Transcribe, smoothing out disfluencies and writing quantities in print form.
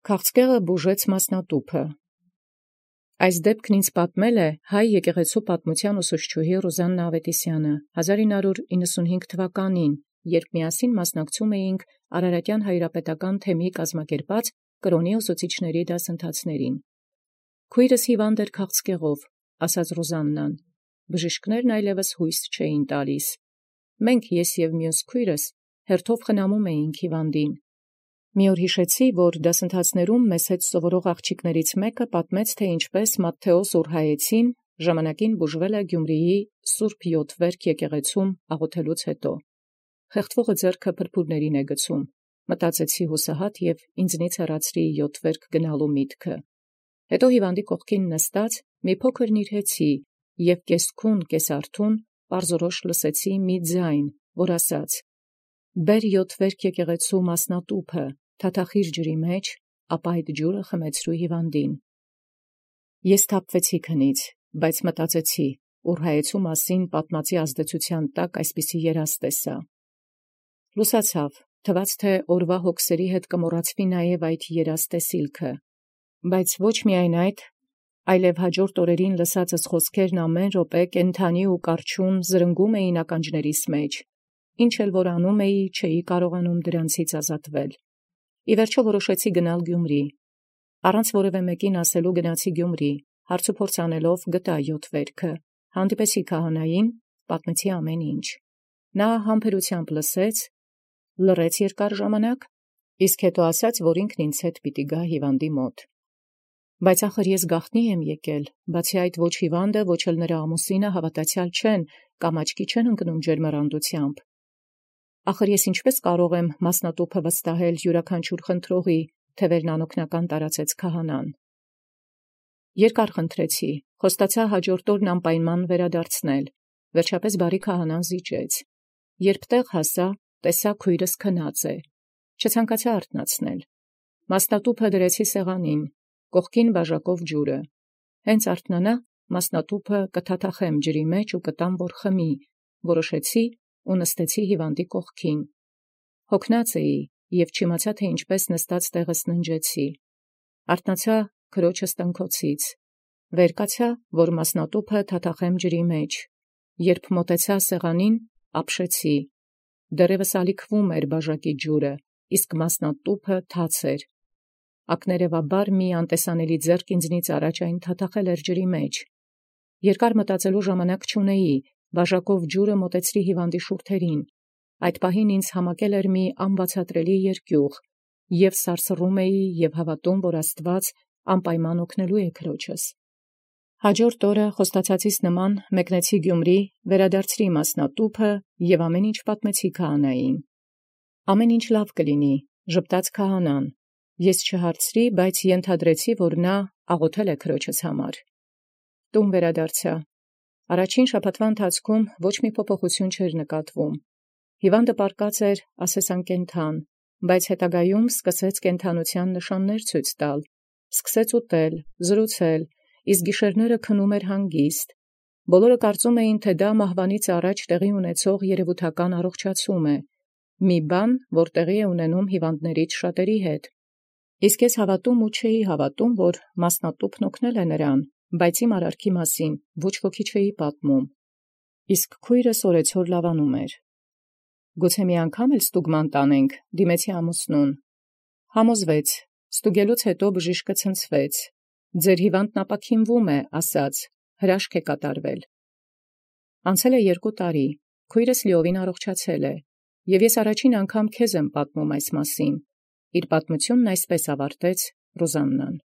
Քաղցկեղը բուժեց մասնատուփը։ Այս դեպքն ինձ պատմել է հայ եկեղեցու պատմության ուսուցչուհի Ռուզաննա Ավետիսյանը 1995 թվականին, երբ միասին մասնակցում էինք Արարատյան հայրապետական թեմի կազմակերպած կրոնի ուսուցիչների դասընթացներին։ «Քույրս հիվանդ էր քաղցկեղով», ասաց Ռուզաննան, բժիշկներն այլևս հույս չէին տալիս։ Մենք ես և մյուս քույրս հերթով խնամում էինք հիվանդին։ Մի օր հիշեցի, որ դասընթացներում մեզ հետ սովորող աղջիկներից մեկը պատմեց, թե ինչպես Մատթեոս Ուրհայեցին ժամանակին բուժվել է Գյումրիի Սուրբ Յոթվերք եկեղեցում աղոթելուց հետո։ Խեղդվողը ձեռքը փրփուրներին է գցում, մտածեցի հուսահատ և ինձնից հեռացրի Յոթվերք գնալու միտքը։ Հետո հիվանդի կողքին նստած մի փոքր նիրհեցի և կեսքուն կեսարթուն պարզորոշ լսեցի մի ձայն, որ ասաց. «Բեր Յոթվերք եկեղեցու մասնատուփը, թաթախիր ջրի մեջ, ապա այդ ջուրը խմեցրու հիվանդին»։ Ես թափվեցի քնից, բայց մտածեցի Ուրհայեցու մասին պատմածի ազդեցության տակ այսպիսի երազ տեսա։ Լուսացավ, թվաց թե օրվա հոգսերի հետ կմոռացվի նաև այդ երազ տեսիլքը, բայց ոչ միայն այդ, այլև հաջորդ օրերին լսածս խոսքերն ամեն րոպե կենդանի ու կառչուն զրնգում էին ականջներիս մեջ, ինչ էլ որ անում էի, չէի կարողանում դրանցից ազատվել։ Ի վերջո որոշեցի գնալ Գյումրի։ Առանց որևէ մեկին ասելու գնացի Գյումրի, հարցուփորձ անելով գտա Յոթվերքը, հանդիպեցի քահանային, պատմեցի ամեն ինչ։ Նա համբերությամբ լսեց, լռեց երկար ժամանակ, իսկ հետո ասաց, որ ինքն ինձ հետ պիտի գա հիվանդի մոտ։ Բայց ախր ես գաղտնի եմ եկել, բացի այդ ոչ հիվանդը, ոչ էլ նրա ամուսինը հավատացյալ չեն կամ աչքի չեն ընկնում ջերմեռանդությամբ։ Ախր ես ինչպես կարող եմ մասնատուփը վստահել յուրաքանչյուր խնդրողի, թեև անօգնական տարածեց քահանան։ Երկար խնդրեցի, խոստացա հաջորդ օրն անպայման վերադարձնել, վերջապես բարի քահանան զիջեց։ Երբ տեղ հասա, տեսա քույրս քնած է, չցանկացա արթնացնել։ Մասնատուփը դրեցի սեղանին, կողքին բաժակով ջուրը։ Հենց արթնանա, մասնատուփը կթաթախեմ ջրի մեջ ու կտամ, որ խմի, որոշեցի ու նստեցի հիվանդի կողքին։ Հոգնած էի և չիմացա, թե ինչպես նստած տեղս ննջեցի։ Արթնացա քրոջս տնքոցից, վեր կացա, որ մասնատուփը թաթախեմ ջրի մեջ։ Երբ մոտեցա սեղանին, ապշեցի։ Դեռևս ալիքվում էր բաժակի ջուրը, իսկ մասնատուփը թաց էր։ Ակներևաբար մի անտեսանելի ձեռք ինձնից առաջ այն թաթախել էր ջրի մեջ։ Երկար մտածելու ժամանակ չունեի, բաժակով ջուրը մոտեցրի հիվանդի շուրթերին։ Այդ պահին ինձ համակել էր մի անբացատրելի երկյուղ, և սարսռում էի և հավատում, որ Աստված անպայման օգնելու է քրոջս։ Հաջորդ օրը խոստացածիս նման մեկնեցի Գյումրի, վերադարձրի մասնատուփը և ամեն ինչ պատմեցի քահանային։ «Ամեն ինչ լավ կլինի», ժպտաց քահանան։ Ես չհարցրի, բայց ենթադրեցի, որ նա աղոթել է քրոջս համար։ Տուն վերադարձա։ Առաջին շաբաթվա ընթացքում ոչ մի փոփոխություն չէր նկատվում։ Հիվանդը պառկած էր ասես անկենդան, բայց հետագայում սկսեց կենդանության նշաններ ցույց տալ, սկսեց ուտել, զրուցել, իսկ գիշերները քնում էր հանգիստ։ Բոլորը կարծում էին, թե դա մահվանից առաջ տեղի ունեցող երևութական առողջացում է, մի բան, որ տեղի է ունենում հիվանդներից շատերի հետ։ Իսկ ես հավատում ու չէի հավատում, որ մասնատուփն օգնել է նրան, բայց իմ արարքի մասին ոչ ոքի չէի պատմում։ Իսկ քույրս օրեցօր լավանում էր։ «Գուցե մի անգամ էլ ստուգման տանենք», դիմեցի ամուսնուն։ Համոզվեց, ստուգելուց հետո բժիշկը ցնցվեց։ «Ձեր հիվանդն ապաքինվում է», ասաց, «հրաշք է կատարվել»։ Անցել է 2 տարի, քույրս լիովին առողջացել է, և ես առաջին անգամ քեզ եմ պատմում այս մասին։ Իր պատմությունն այսպես ավարտեց Ռուզաննան։